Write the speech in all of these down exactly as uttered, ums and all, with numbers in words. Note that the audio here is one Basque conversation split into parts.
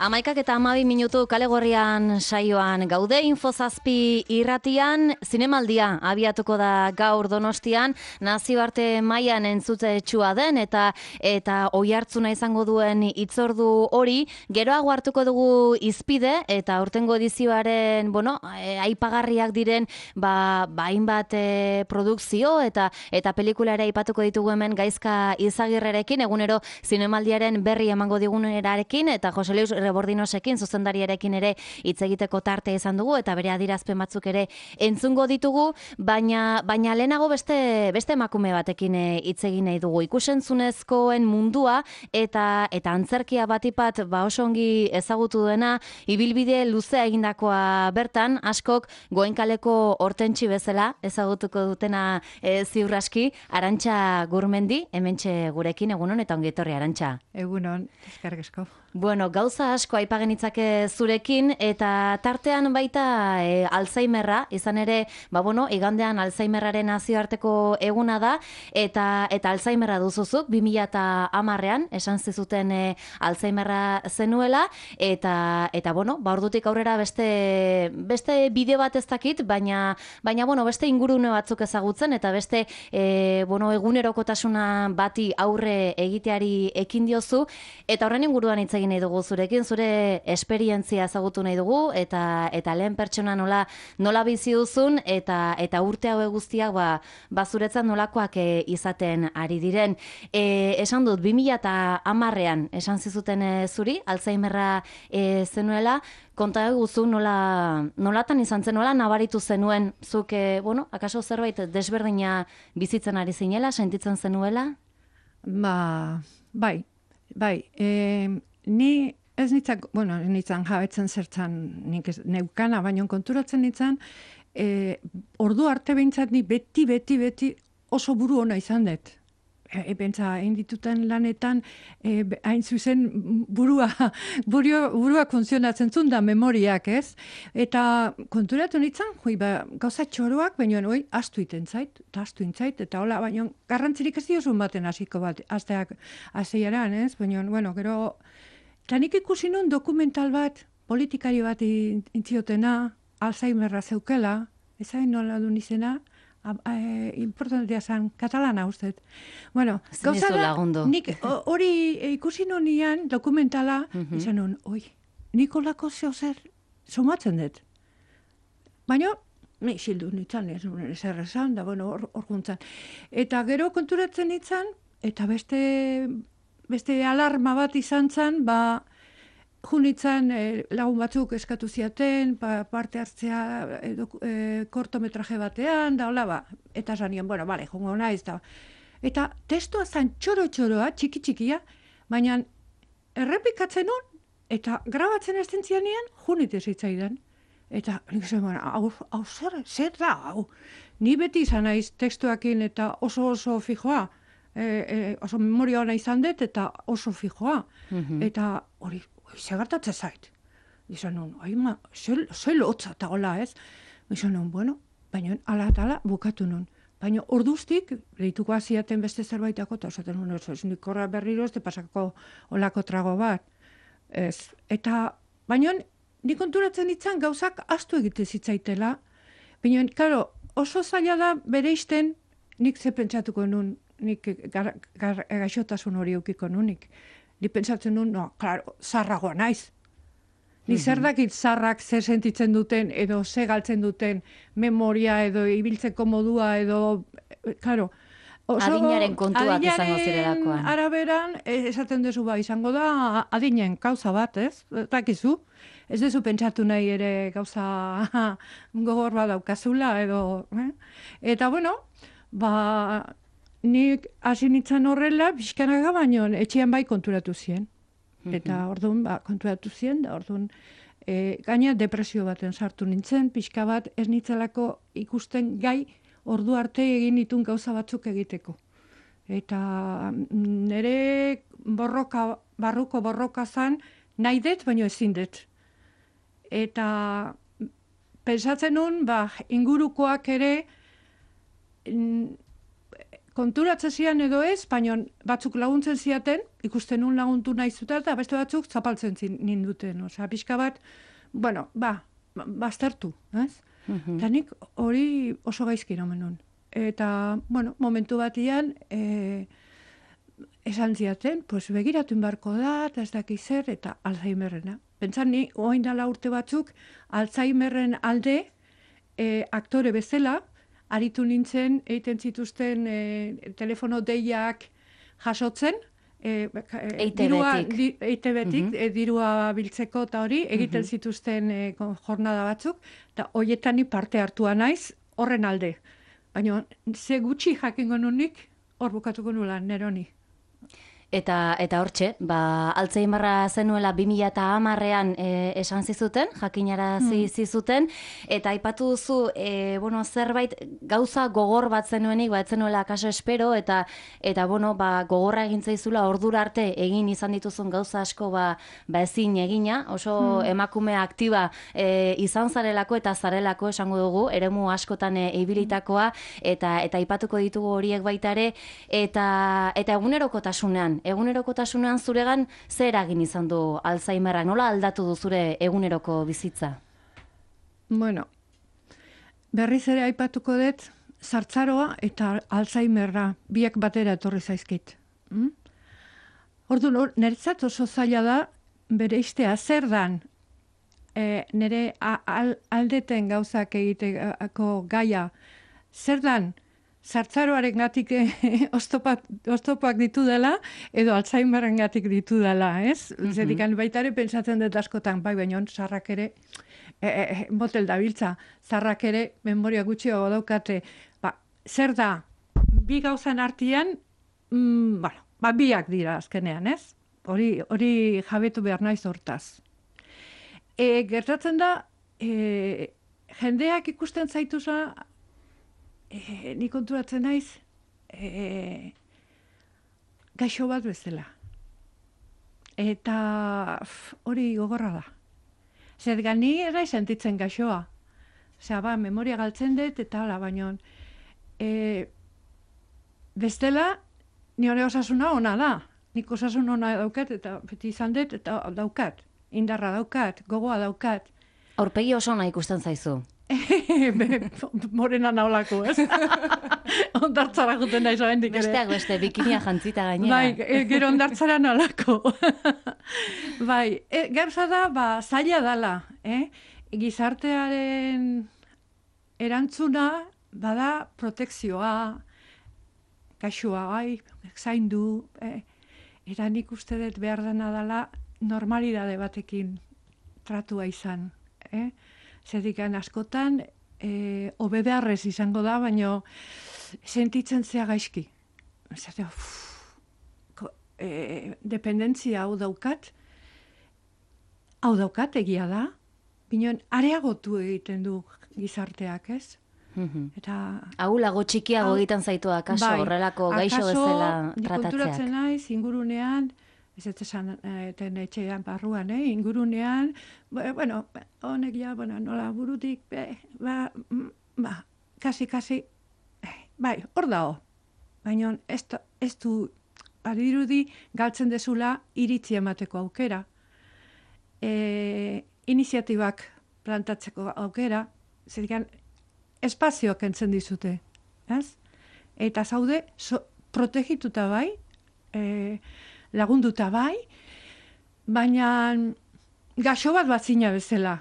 Amaikak eta amabi minutu kale gorrian saioan gaude infozazpi irratian, zinemaldia abiatuko da gaur Donostian, nazioarte mailan entzute etxua den eta eta oihartzuna izango duen hitzordu hori, geroago hartuko dugu izpide eta aurtengo edizioaren, bueno, e, aipagarriak diren, ba, ba hainbat e, produkzio eta eta pelikula ere aipatuko ditugu hemen Gaizka Izagirrerekin, egunero zinemaldiaren berri emango digunerarekin eta Jose Luis Bordinosekin, zuzendariarekin ere hitz egiteko tarte izan dugu eta bere adierazpen batzuk ere entzungo ditugu, baina baina lehenago beste beste emakume batekin hitz egin nahi dugu. Ikusentzunezkoen mundua eta eta antzerkia batipat ba oso ongi ezagutu duena, ibilbide luzea egindakoa bertan, askok Goenkaleko Hortentsi bezala ezagutuko dutena e, ziur aski, Arantxa Gurmendi, hementxe gurekin, egunon eta ongi etorri Arantxa. Egunon, eskerrik asko. Bueno, gauza asko aipagenitzake zurekin eta tartean baita e, Alzheimerra, izan ere, ba bueno, igandean Alzheimerraren nazioarteko eguna da eta eta Alzheimerra duzuzuk bi mila hamarrean esan zizuten e, Alzheimerra zenuela eta eta bueno, ba ordutik aurrera beste beste bide bat ez dakit, baina baina bueno, beste ingurune batzuk ezagutzen eta beste e, bueno, egunerokotasuna bati aurre egiteari ekin diozu eta horren inguruan hitz egin nahi dugu zurekin, zure esperientzia ezagutu nahi dugu eta eta lehen pertsona nola nola bizi duzun eta eta urte hauek guztiak ba ba zuretzat nolakoak e, izaten ari diren. E, esan dut bi mila hamarrean esan zizuten e, zuri Alzheimerra e, zenuela, konta eguzu nola nolatan izan zen, nola nabaritu zenuen zuk e, bueno, akaso zerbait desberdina bizitzen ari zinela, sentitzen zenuela? Ba, bai, bai, e, ni ez nitzak, bueno, nitzan jabetzen zertzan nik ez, neukana, baina konturatzen nitzan, e, ordu arte behintzat ni beti, beti, beti oso buru ona izan dut. E, Bentsa, egin dituten lanetan, e, hain zuzen burua, burua, burua funtzionatzen zuen da memoriak, ez? Eta konturatu nintzen, joi, ba, gauza txoroak, baina hoi, astu iten zait, eta astu intzait, eta hola, baina garrantzirik ez diozun baten hasiko bat, asteak, asteiaran, ez? Baina, bueno, gero, eta nik ikusi nun dokumental bat, politikari bat intziotena, Alzheimerra zeukela, ezain nola du izena, E, importantea zen, katalana uste. Bueno, gauza da, nik hori ikusi nonian dokumentala, mm-hmm. izan nun, oi, Nikolako zeo zer somatzen dut. Baina, ni xildu nintzen, ez zer esan, da, bueno, hor, hor guntzan. Eta gero konturatzen nintzen, eta beste, beste alarma bat izan zen, ba, junitzen eh, lagun batzuk eskatu ziaten, pa, parte hartzea eh, eh, kortometraje batean, da hola ba, eta zanien, bueno, bale, jongo naiz, da. Eta testua zen txoro-txoroa, txiki-txikia, baina errepikatzen nun, eta grabatzen esten zianean, junite zitzaidan. Eta, nik zen, bueno, hau, hau zer, zer da, hau. Ni beti izan naiz testuakin eta oso-oso fijoa, e, e, oso memoria ona izan dut, eta oso fijoa. Mm-hmm. Eta hori, segartatzen zait. Izan nun, ai ma, ze lotza eta hola ez. Izan nun, bueno, baina ala eta ala bukatu nun. Baina orduztik, lehituko aziaten beste zerbaitako, eta esaten nun, ez nik horra berriro ez, pasako olako trago bat. Ez. Eta, baina nik konturatzen ditzan gauzak astu egite zitzaitela. Baina, karo, oso zaila da bere isten, nik ze pentsatuko nun, nik gar, gar, gaixotasun hori eukiko nunik. Ni pentsatzen duen, no, klaro, zarragoa naiz. Ni zer dakit zarrak zer sentitzen duten, edo ze galtzen duten memoria, edo ibiltzeko modua, edo, klaro. Adinaren kontuak izango zirelakoan. Araberan, esaten duzu ba, izango da, adinen gauza bat, ez? Dakizu? Ez duzu pentsatu nahi ere gauza gogor bat daukazula, edo, eh? Eta, bueno, ba, nik hasi nintzen horrela, pixkanaga baino, etxean bai konturatu zien. Eta orduan, ba, konturatu zien, da orduan, e, gaina depresio baten sartu nintzen, pixka bat ez nitzelako ikusten gai ordu arte egin ditun gauza batzuk egiteko. Eta nire borroka, barruko borroka zan, nahi dut, baino ezin dut. Eta pentsatzen nun, ba, ingurukoak ere, konturatzen zian edo ez, baina batzuk laguntzen ziaten, ikusten nun laguntu nahi zuten, eta beste batzuk zapaltzen zin ninduten. Osea, pixka bat, bueno, ba, baztertu, ez? Mhm. Eta nik hori oso gaizki nomen nun. Eta, bueno, momentu batian, e, esan ziaten, pues begiratu inbarko da, eta ez dakiz zer, eta Alzheimerrena. Pentsan ni, oain dala urte batzuk, Alzheimerren alde, e, aktore bezala, aritu nintzen, egiten zituzten e, telefono deiak jasotzen, e, E I T B-tik. di, E I T B-tik, Mhm. e, dirua biltzeko eta hori, egiten zituzten e, ko- jornada batzuk, eta horietan ni parte hartua naiz, horren alde. Baina, ze gutxi jakingo nunik, hor bukatuko nula, neroni. Eta eta hortxe, ba, Alzheimerra zenuela bi mila hamarrean e, esan zizuten, jakinarazi zizuten, eta aipatu duzu, e, bueno, zerbait gauza gogor bat zenuenik, ba, ez zenuela akaso espero, eta eta bueno, ba, gogorra egin zaizula ordura arte egin izan dituzun gauza asko ba, ba ezin egina, oso emakume aktiba e, izan zarelako eta zarelako esango dugu, eremu askotan e, ibilitakoa, eta eta aipatuko ditugu horiek baita ere, eta eta egunerokotasunean egunerokotasunean zuregan zer eragin izan du Alzheimerra? Nola aldatu du zure eguneroko bizitza? Bueno, berriz ere aipatuko dut, zartzaroa eta Alzheimerra biak batera etorri zaizkit. Mm? Orduan, niretzat oso zaila da bereiztea zer dan e, nire a- al, aldeten gauzak egiteko gaia, zer dan zartzaroaren gatik oztopak, oztopak ditu dela, edo Alzheimerren gatik ditu dela, ez? Mm -hmm. Baita ere pentsatzen dut askotan, bai, baina zarrak ere, e, e, motel dabiltza, zarrak ere memoria gutxiago daukate, ba, zer da, bi gauzan artean, mm, bueno, ba, biak dira azkenean, ez? Hori, hori jabetu behar naiz hortaz. E, gertatzen da, e, jendeak ikusten zaituza, e, ni konturatzen naiz, e, gaixo bat bezala. Eta f, hori gogorra da. Zer gani ere sentitzen gaixoa. Osea, ba, memoria galtzen dut, eta hala, baino, e, bestela, ni hori osasuna ona da. Nik osasun ona daukat, eta beti izan dut, eta daukat. Indarra daukat, gogoa daukat. Aurpegi oso ona ikusten zaizu. Morena naolako, ez? Ondartzara juten da izoen dik ere. Besteak beste, bikinia jantzita gainera. Bai, e, gero ondartzara nolako. Bai, e, gauza da, ba, zaila dala, eh? Gizartearen erantzuna, bada protekzioa, kaixua, bai, zaindu, eh? Eta nik uste dut behar dena dela normalidade batekin tratua izan, eh? Zedikan askotan, e, hobe beharrez izango da, baina sentitzen zea gaizki. Zatea, e, dependentzia hau daukat, hau daukat egia da, bineon areagotu egiten du gizarteak, ez? Eta Ahulago txikiago egiten zaitu akaso, bai, horrelako gaixo bezala akaso, tratatzeak. konturatzen naiz, ingurunean, ez ez esan eten etxean barruan, eh? Ingurunean, bueno, honek ja, bueno, nola burutik, eh, ba, ba, kasi, kasi, eh, bai, hor dago. Baina ez, ez du, badirudi, galtzen dezula iritzi emateko aukera. E, iniziatibak plantatzeko aukera, zerikan, espazioak entzen dizute, ez? Eta zaude, so, protegituta bai, e, lagunduta bai, baina gaixo bat bat zina bezala.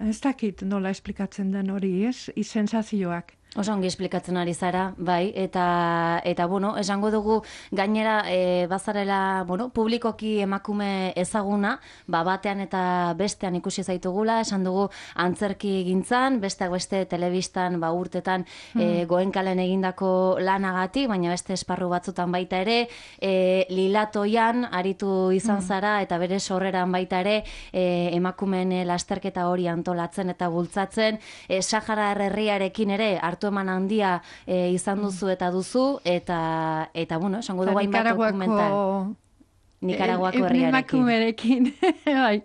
Ez dakit nola esplikatzen den hori, ez? Sensazioak. Oso ongi esplikatzen ari zara, bai, eta, eta bueno, esango dugu gainera e, bazarela, bueno, publikoki emakume ezaguna, ba, batean eta bestean ikusi zaitugula, esan dugu antzerki gintzan, besteak beste telebistan, ba, urtetan e, Goenkalen egindako lanagatik, baina beste esparru batzutan baita ere, e, Lilatoian aritu izan zara, eta bere sorreran baita ere, e, emakumeen lasterketa hori antolatzen eta bultzatzen, e, Sahara herriarekin ere, hartu eman handia e, izan duzu eta duzu, eta, eta bueno, esango dugu hainbat dokumental. Nikaraguako herriarekin. Emakumerekin, bai.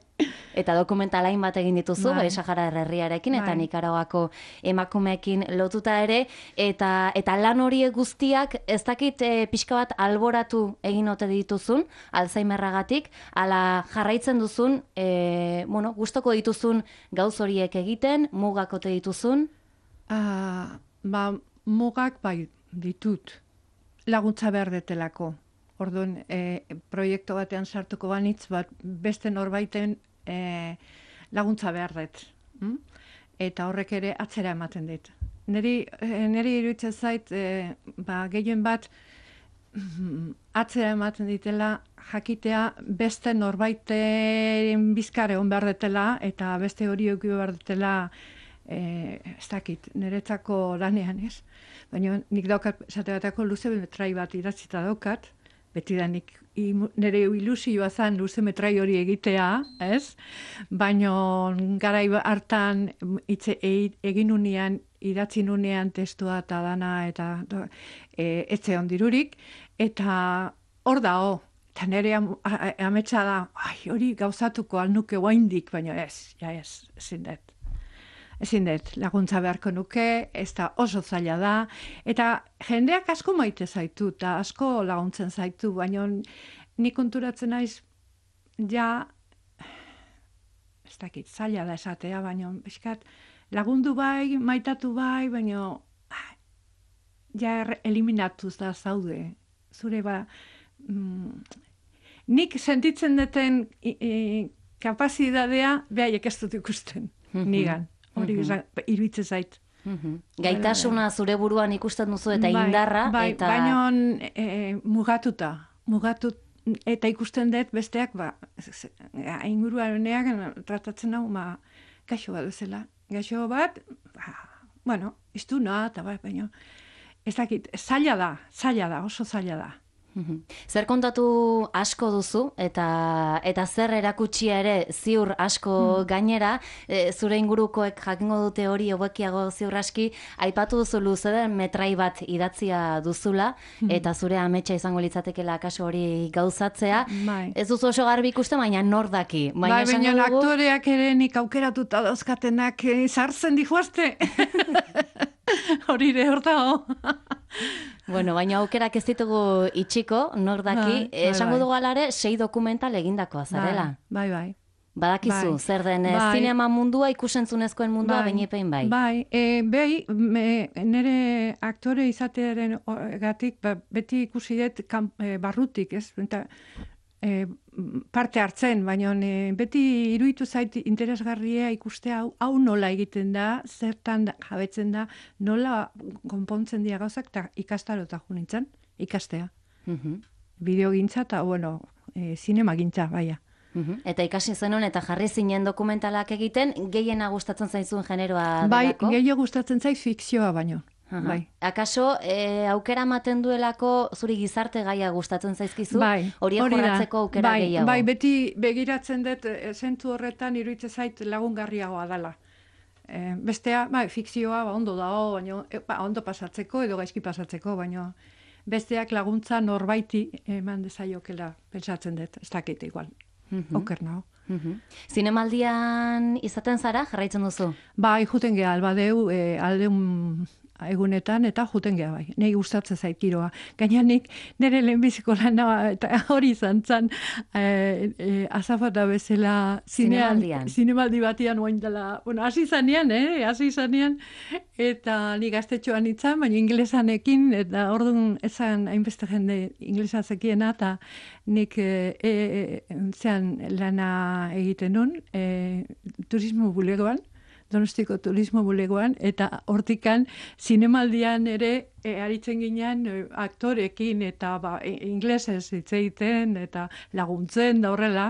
Eta dokumentalain bat egin dituzu, Bai. bai, Sahara herriarekin eta Bai. Nikaraguako emakumeekin lotuta ere, eta eta lan horiek guztiak ez dakit e, pixka bat alboratu egin ote dituzun, Alzheimerragatik, ala jarraitzen duzun, e, bueno, gustoko dituzun gauz horiek egiten, mugak ote dituzun? Ah, ba, mugak bai ditut, laguntza behar detelako. Orduan, e, proiektu batean sartuko banitz, bat beste norbaiten e, laguntza behar dut. Hm? Eta horrek ere atzera ematen dit. Neri, e, neri iruditzen zait, e, ba, gehien bat mm, atzera ematen ditela jakitea beste norbaiten bizkare hon behar detela eta beste hori euki behar detela e, ez dakit, niretzako lanean ez. Baina nik daukat, esate batako luze metrai bat idatzita daukat, beti da nik nire ilusioa zan luze metrai hori egitea, ez? Baina garai hartan itze, e, egin unean, idatzi nunean testua eta dana eta e, etze ondirurik, eta hor da, ho, eta nire am, ametsa da, ai, hori gauzatuko alnuke guaindik, baina ez, ja ez, ezin dut. Ezin dut, laguntza beharko nuke, ez da oso zaila da, eta jendeak asko maite zaitu, eta asko laguntzen zaitu, baina nik konturatzen naiz, ja, ez dakit, zaila da esatea, baina eskat, lagundu bai, maitatu bai, baina ja eliminatuz da zaude. Zure ba, mm, nik sentitzen duten kapazitatea, behaiek ez dut ikusten, nigan. Hori mm-hmm. iruditzen zait. Mm-hmm. Gaitasuna zure buruan ikusten duzu eta bai, indarra. Bai, eta... baina e, mugatuta. Mugatut, eta ikusten dut besteak, ba, inguruareneak tratatzen hau, ma, gaixo bat bezala. Gaixo bat, ba, bueno, iztuna, eta bai, baina, ez dakit, zaila da, zaila da, oso zaila da. Zer kontatu asko duzu eta eta zer erakutsia ere ziur asko mm. gainera, e, zure ingurukoek jakingo dute hori hobekiago ziur aski, aipatu duzu luze den metrai bat idatzia duzula mm. eta zure ametsa izango litzatekeela kasu hori gauzatzea. Bai. Ez duzu oso garbi ikusten, baina nor daki. Baina bai, baina dugu... aktoreak ere nik aukeratuta dauzkatenak e, sartzen dihuazte. Hori ere hor dago. Bueno, baina aukerak ez ditugu itxiko, nor daki, bai, esango bai, dugu alare, sei dokumental egindakoa zarela. Bai, bai. Badakizu, bai, zer den bai, zinema mundua, ikusentzunezkoen mundua, bai, bainepein bai. Bai, e, behi, me, nire aktore izatearen gatik, ba, beti ikusi dut kan, e, barrutik, ez? Eta, e, parte hartzen, baina e, beti iruditu zait interesgarria ikustea hau, hau nola egiten da, zertan da, jabetzen da, nola konpontzen dira gauzak, eta ikastarota junintzen, ikastea. Mm-hmm. Bideogintza eta, bueno, e, zinema gintza, baia. Mm-hmm. Eta ikasi zenuen eta jarri zinen dokumentalak egiten, gehiena gustatzen zaizun generoa bai, delako? Bai, gehiago gustatzen zaiz fikzioa baino. Bai. Akaso, e, aukera ematen duelako zuri gizarte gaia gustatzen zaizkizu? Bai, horiek jorratzeko aukera bai, gehiago? Bai, beti begiratzen dut, e, zentu horretan iruditzen zait lagungarriagoa dela. E, bestea, bai, fikzioa ba, ondo dago, baina e, ba, ondo pasatzeko edo gaizki pasatzeko, baina besteak laguntza norbaiti eman dezaiokela pentsatzen dut, ez dakit igual, mm-hmm. oker nago. Mm-hmm. Zinemaldian izaten zara, jarraitzen duzu? Bai, juten geha, albadeu, e, aldeun egunetan, eta juten geha bai. Nei gustatzen zait giroa. Gaina nik nire lehenbiziko lana eta hori izan zan e, e, azafata bezala zinean, zinemaldi batian oain dela. Bueno, hasi zanean, eh? Hasi zanean, eta nik gaztetxoan itzan, baina inglesanekin, eta orduan ezan hainbeste jende inglesa zekiena, eta nik e, e, zean lana egiten nun, e, turismo bulegoan, Donostiko turismo bulegoan, eta hortikan zinemaldian ere e, aritzen ginean e, aktorekin eta ba, e, inglesez hitz egiten eta laguntzen da horrela.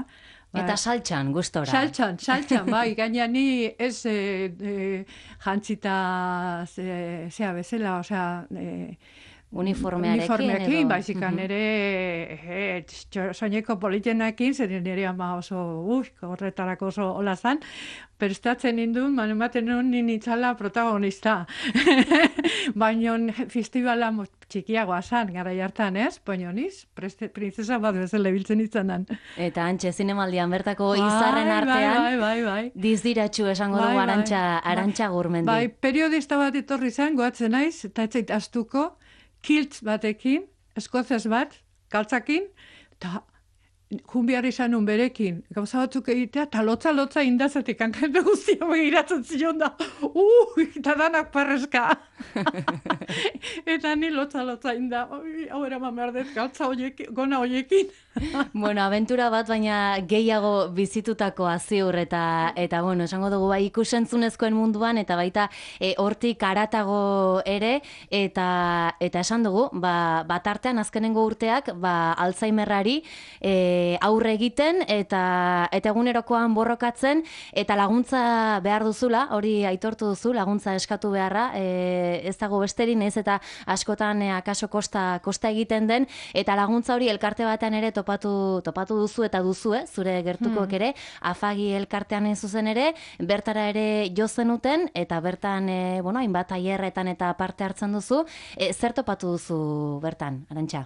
Ba, eta saltxan, gustora. Saltxan, saltxan, bai, gaina ni ez e, e, jantzita ze, zea bezala, osea, e, uniformearekin. Uniformeakin, edo. baizikan Mhm. ere e, soineko politenakin, zer nire ama oso, ui, horretarako oso hola zan, prestatzen nindun, man ematen nuen ninitzala protagonista. Baina festivala mo- txikiagoa zan, gara hartan, ez? Baina niz, preste- princesa bat bezala biltzen izanan. Eta antxe zinemaldian bertako Bai, izarren bai, artean, bai, bai, bai. dizdiratxu esango Bai, dugu bai, Arantxa, bai. Arantxa Gurmendi. Bai, periodista bat etorri zen, goatzen naiz, eta etzait astuko, kiltz batekin, eskozez bat, kaltzakin, eta junbiar izan nun berekin, gauza batzuk egitea, eta lotza-lotza indazetik, hankante guztia begiratzen zion da, uh, eta danak parrezka. Eta ni lotza-lotza inda, oi, hau eraman behar dut, galtza hoiekin, gona hoiekin. Bueno, abentura bat, baina gehiago bizitutakoa ziur, eta, eta bueno, esango dugu bai ikusentzunezkoen munduan, eta baita e, hortik aratago ere, eta, eta esan dugu, ba, bat artean azkenengo urteak, ba, Alzheimerrari e, aurre egiten, eta, eta egunerokoan borrokatzen, eta laguntza behar duzula, hori aitortu duzu, laguntza eskatu beharra, e, ez dago besterin, ez eta askotan e, akaso kosta, kosta egiten den, eta laguntza hori elkarte batean ere topatu, topatu duzu eta duzu, eh, zure gertukoek ere, afagi elkartean hain zuzen ere, bertara ere jo zenuten, eta bertan, e, bueno, hainbat tailerretan eta parte hartzen duzu, e, zer topatu duzu bertan, Arantxa?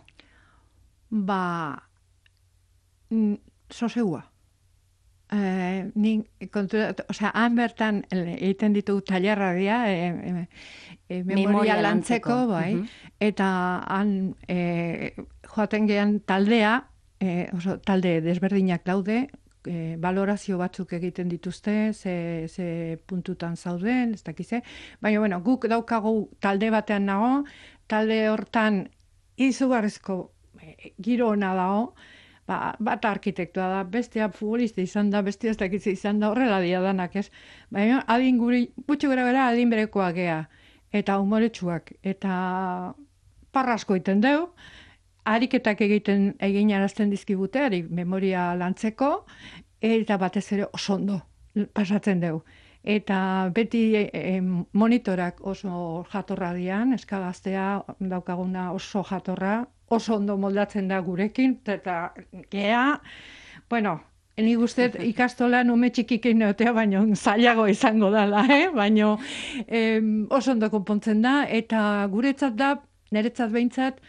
Ba, mm, sosegua. Eh, ni kontura, osea, han bertan eh, egiten ditugu tailerra dira, eh, eh, eh, memoria, Memoria lantzeko, lantzeko, bai, mhm. eta han eh, joaten gehan taldea, eh, oso, talde desberdinak daude, eh, valorazio batzuk egiten dituzte, ze, ze puntutan zauden, ez dakize, baina, bueno, guk daukagu talde batean nago, talde hortan izugarrizko eh, giro ona dago, ba, bat arkitektua da, bestea futbolista izan da, bestea ez dakitze izan da, horrela dia danak, ez? Baina adin guri, gutxi gara gara adin berekoak gea, eta humoretsuak, eta parrasko iten deu, ariketak egiten egin arazten dizkibute, ari memoria lantzeko, eta batez ere oso ondo pasatzen deu. Eta beti e, monitorak oso jatorra dian, eskagaztea daukaguna oso jatorra, oso ondo moldatzen da gurekin, eta gea, bueno, ni guztet ikastolan ume txikikin neotea, baino zailago izango dela, eh? Baino em, oso ondo konpontzen da, eta guretzat da, niretzat behintzat,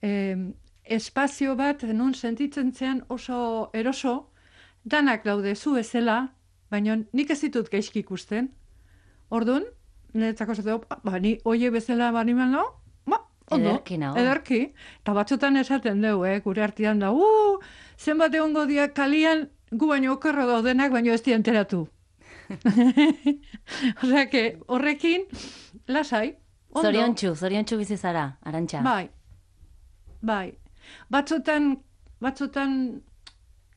em, espazio bat, nun sentitzen zean oso eroso, danak daude zu bezala, baina nik ez ditut gaizki ikusten. Orduan, niretzako zatu, ba, ni oie bezala bani no? Ba, ondo, Ederki nago. ederki. Eta batzutan esaten dugu, eh, gure artean da, uh, zenbat egongo diak kalian, gu baino okerro daudenak, baino ez di enteratu. Osea, que horrekin, lasai, ondo. Zoriontsu, zoriontsu bizi zara, Arantxa. Bai, bai. Batzutan, batzutan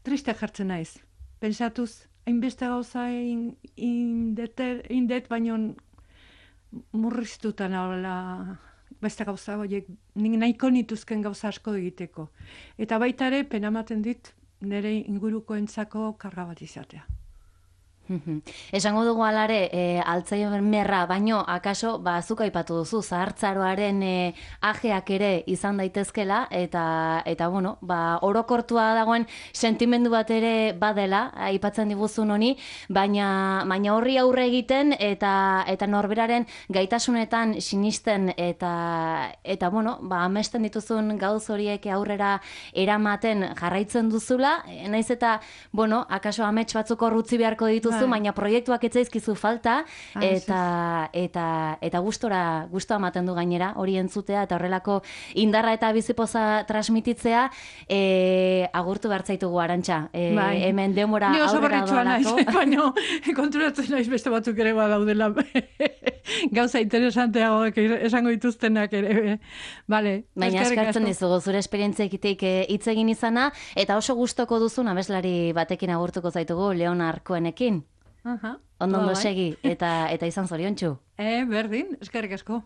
triste jartzen naiz. Pentsatuz, hainbeste gauza in, indeter, indet, baino murriztuta nagoela beste gauza horiek, nik nahiko nituzken gauza asko egiteko. Eta baita ere, penamaten dit, nire ingurukoentzako karga bat izatea. Esango dugu alare, e, Alzheimerra, baino, akaso, ba, zuk aipatu duzu, zahartzaroaren e, ajeak ere izan daitezkela, eta, eta bueno, ba, orokortua dagoen sentimendu bat ere badela, aipatzen diguzun honi, baina, baina horri aurre egiten, eta, eta norberaren gaitasunetan sinisten, eta, eta bueno, ba, amesten dituzun gauz horiek aurrera eramaten jarraitzen duzula, e, naiz eta, bueno, akaso amets batzuk horrutzi beharko dituzu, baina proiektuak etzaizkizu falta, eta, eta, eta gustora, gustora ematen du gainera, hori entzutea, eta horrelako indarra eta bizipoza transmititzea, e, agurtu bertzaitugu, Arantxa. E, bai. Hemen demora Ni oso aurrera berritsua naiz, doalako. baina konturatzen naiz beste batzuk ere badaudela gauza interesanteagoak esango dituztenak ere. Vale, Baina eskerrik eskartzen asko. dizugu zure esperientziakitik hitz egin izana, eta oso gustoko duzun abeslari batekin agurtuko zaitugu, Leonar Cohenekin. Aha, Ondo ondo ba, bai. segi, eta, eta izan zoriontsu. Eh, berdin, eskerrik asko.